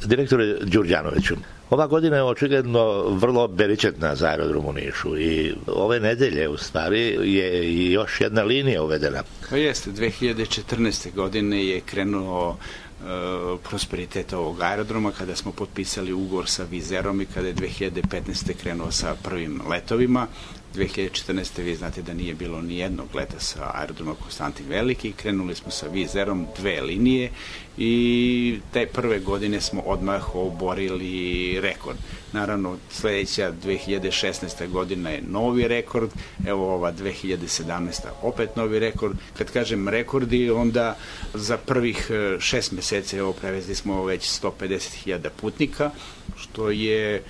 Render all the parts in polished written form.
Direktore Đurđanoviću, ova godina je očigledno vrlo beričetna za aerodrom u Nišu i ove nedelje u stvari je i još jedna linija uvedena. Pa jeste, 2014. godine je krenuo prosperitet ovog aerodroma kada smo potpisali ugovor sa Vizerom i kada je 2015. krenuo sa prvim letovima. 2014. vi znate da nije bilo ni jednog leta sa aerodroma Konstantin Veliki, krenuli smo sa Vizerom 2 linije i te prve godine smo odmah oborili rekord. Naravno, sledeća 2016. godina je novi rekord, evo ova 2017. opet novi rekord. Kad kažem rekordi, onda za prvih 6 meseci prevezli smo već 150.000 putnika, što je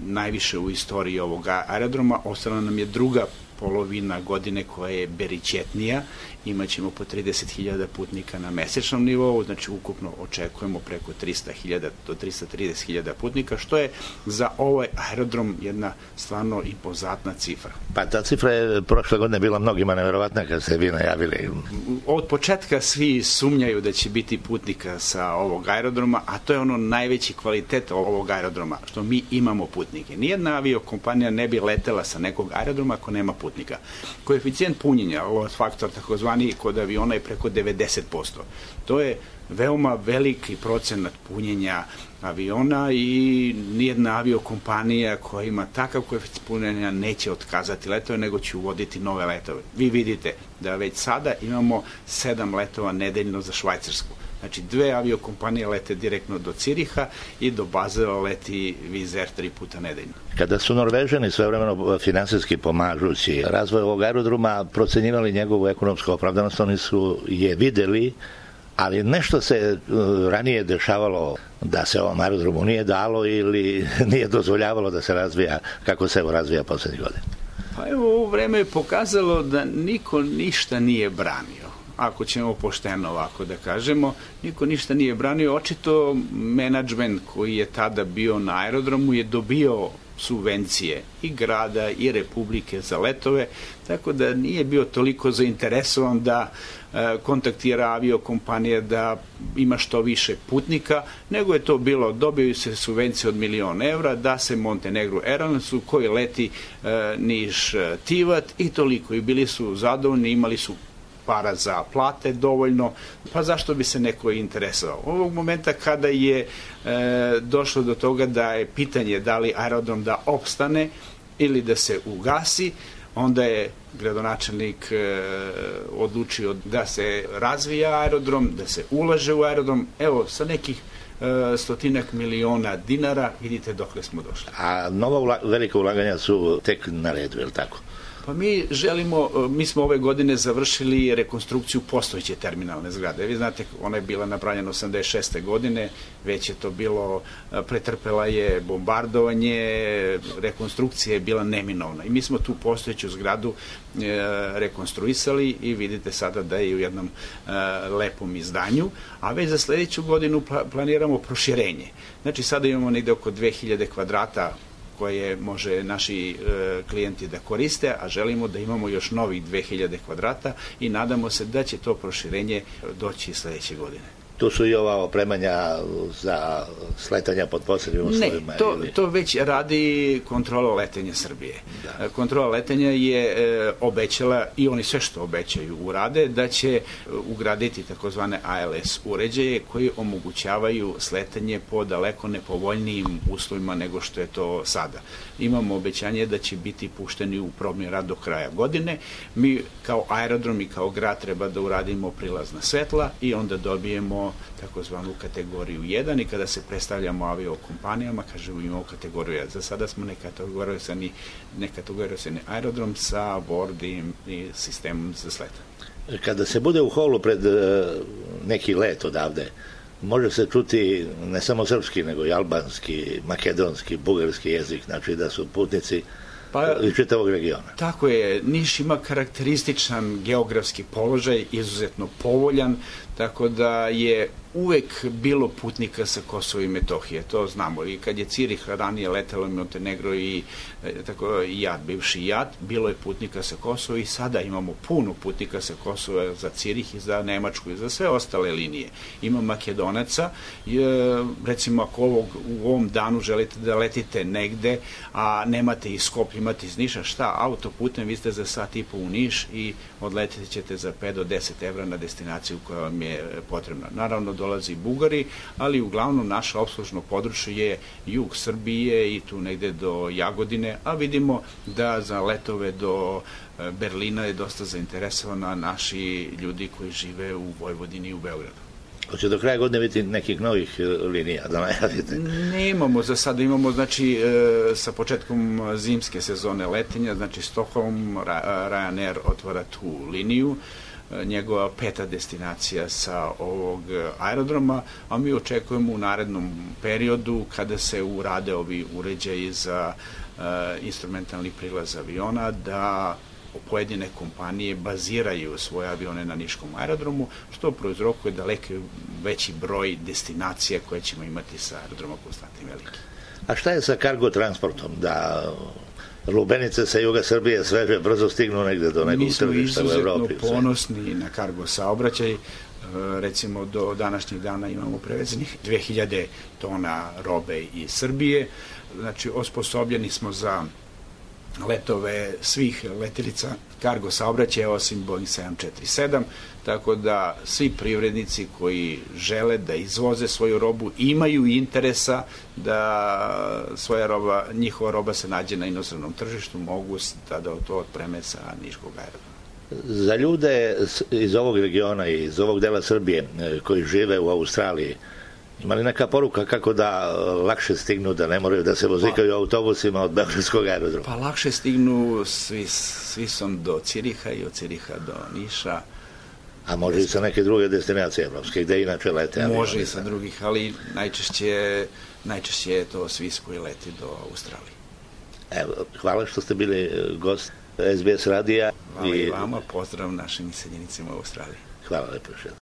najviše u istoriji ovog aerodroma. Ostala nam je druga polovina godine koja je beričetnija, imaćemo po 30.000 putnika na mesečnom nivou, znači ukupno očekujemo preko 300.000 do 330.000 putnika, što je za ovaj aerodrom jedna stvarno impozantna cifra. Pa ta cifra je prošle godine bila mnogima neverovatna kad ste vi najavili. Od početka svi sumnjaju da će biti putnika sa ovog aerodroma, a to je ono najveći kvalitet ovog aerodroma, što mi imamo putnike. Nijedna aviokompanija ne bi letela sa nekog aerodroma ako nema putnika. Koeficijent punjenja, load faktor takozvani kod aviona je preko 90%. To je veoma veliki procenat punjenja aviona i nijedna aviokompanija koja ima takav koeficijent punjenja neće otkazati letove, nego će uvoditi nove letove. Vi vidite da već sada imamo 7 letova nedeljno za Švajcarsku. Znači, 2 aviokompanije lete direktno do Ciriha i do Bazela leti Vizer 3 puta nedeljno. Kada su Norvežani svojevremeno finansijski pomažući razvoj ovog aerodroma procenjivali njegovu ekonomsku opravdanost, oni su je videli, ali nešto se ranije dešavalo da se ovom aerodromu nije dalo ili nije dozvoljavalo da se razvija kako se evo razvija poslednjih godina. Pa evo, ovo vreme je pokazalo da niko ništa nije branio. Ako ćemo pošteno ovako da kažemo, niko ništa nije branio. Očito menadžment koji je tada bio na aerodromu je dobio subvencije i grada i republike za letove, tako da nije bio toliko zainteresovan da kontaktira aviokompanije da ima što više putnika, nego je to bilo, dobiju se subvencije od 1.000.000 evra da se Montenegro Airlinesu koji leti Niš-Tivat i toliko. I bili su zadovoljni, imali su para za plate dovoljno, pa zašto bi se neko interesovao? Ovog momenta kada je došlo do toga da je pitanje da li aerodrom da opstane ili da se ugasi, onda je gradonačelnik odlučio da se razvija aerodrom, da se ulaže u aerodrom. Evo, sa nekih 100 miliona dinara, vidite dokle smo došli. A nova velika ulaganja su tek na redu, je li tako? Pa mi smo ove godine završili rekonstrukciju postojeće terminalne zgrade. Vi znate, ona je bila napravljena 86. godine, već je to bilo, pretrpela je bombardovanje, rekonstrukcija je bila neminovna. I mi smo tu postojeću zgradu rekonstruisali i vidite sada da je u jednom lepom izdanju, a već za sledeću godinu planiramo proširenje. Znači, sada imamo negde oko 2000 kvadrata koje može naši klijenti da koriste, a želimo da imamo još novih 2000 kvadrata i nadamo se da će to proširenje doći sledeće godine. Tu su i ova opremanja za sletanja pod posebnim uslovima? Ne, to već radi kontrola letenja Srbije. Da. Kontrola letenja je obećala, i oni sve što obećaju urade, da će ugraditi takozvane ALS uređaje koji omogućavaju sletanje po daleko nepovoljnijim uslovima nego što je to sada. Imamo obećanje da će biti pušteni u probni rad do kraja godine. Mi kao aerodrom i kao grad treba da uradimo prilazna svetla i onda dobijemo takozvanu kategoriju 1 i kada se predstavljamo aviokompanijama, kažemo imamo kategoriju 1. Za sada smo nekategorisani aerodrom sa boarding i sistemom za sletanje. Kada se bude u holu pred neki let odavde, može se čuti ne samo srpski, nego i albanski, makedonski, bugarski jezik, znači da su putnici iz čitavog regiona. Tako je, Niš ima karakterističan geografski položaj, izuzetno povoljan, tako da je uvek bilo putnika sa Kosova i Metohije, to znamo. I kad je Cirih ranije letelo Montenegro i JAT, bivši JAT, bilo je putnika sa Kosova i sada imamo puno putnika sa Kosova za Cirih i za Nemačku i za sve ostale linije. Ima Makedonaca, recimo ako u ovom danu želite da letite negde, a nemate iz Skoplja, imate iz Niša, šta, autoputem, vi ste za sat i po u Niš i odletite ćete za 5 do 10 evra na destinaciju koja vam je potrebna. Naravno, dolazi i Bugari, ali uglavnom naše opslužno područje je jug Srbije i tu negde do Jagodine, a vidimo da za letove do Berlina je dosta zainteresovana naši ljudi koji žive u Vojvodini i u Beogradu. Hoće do kraja godine biti nekih novih linija da najavite? Nemamo, za sada imamo, znači, sa početkom zimske sezone letenja, znači Stockholm, Ryanair otvara tu liniju, njegova 5. destinacija sa ovog aerodroma, a mi očekujemo u narednom periodu kada se urade ovi uređaji za instrumentalni prilaz aviona da pojedine kompanije baziraju svoje avione na niškom aerodromu, što prouzrokuje daleko veći broj destinacija koje ćemo imati sa aerodroma Konstantin Veliki. A šta je sa kargo transportom? Da lubenice sa juga Srbije sveže brzo stignu negde do nekog tržišta u Evropi? Mi smo izuzetno ponosni na kargo saobraćaj. Recimo do današnjeg dana imamo prevezenih 2000 tona robe iz Srbije. Znači, osposobljeni smo za letove svih letelica kargo saobraćaja osim Boeing 747, tako da svi privrednici koji žele da izvoze svoju robu imaju interesa da njihova roba se nađe na inostranom tržištu, mogu da to otpreme sa niškog aerodroma. Za ljude iz ovog regiona i iz ovog dela Srbije koji žive u Australiji, ima li neka poruka kako da lakše stignu, da ne moraju da se vozikaju autobusima od Beogradskog aerodroma? Pa lakše stignu svi sam do Ciriha i od Ciriha do Niša. A može i sa neke druge destinacije evropske, gde inače lete? Može i sa drugih, ali najčešće je to Svis koji leti do Australije. Evo, hvala što ste bili gost SBS radija. Hvala i vama, pozdrav našim iseljenicima u Australiji. Hvala lepo.